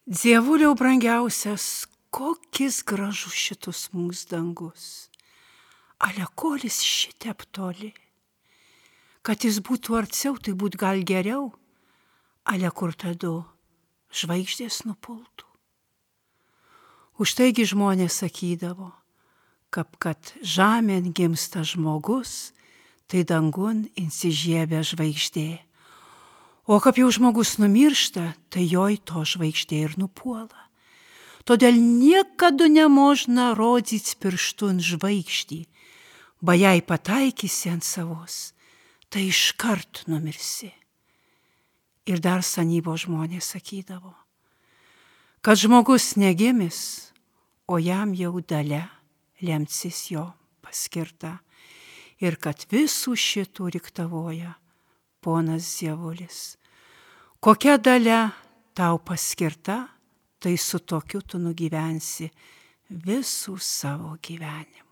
Dievuliau brangiausias, kokis gražus šitus mūsų dangus. Ale kolis šitep toli. Kad jis būtų arčiau, tai būt gal geriau. Ale kur tada žvaigždės nupultų. Už taigi žmonės sakydavo, kad žemėn gimsta žmogus, tai dangun insižiebia žvaigždė. O kaip jau žmogus numiršta, tai joj to žvaigždė ir nupuola. Todėl niekada nemožna rodyti pirštu ant žvaigždį, ba jei pataikysi ant savos, tai iškart numirsi. Ir dar senyvo žmonės sakydavo, kad žmogus negimis, o jam jau dalia lemcis jo paskirta, ir kad visų šitų riktavoja ponas Dievulis. Kokia dalia tau paskirta, tai su tokiu tu nugyvensi visų savo gyvenimą.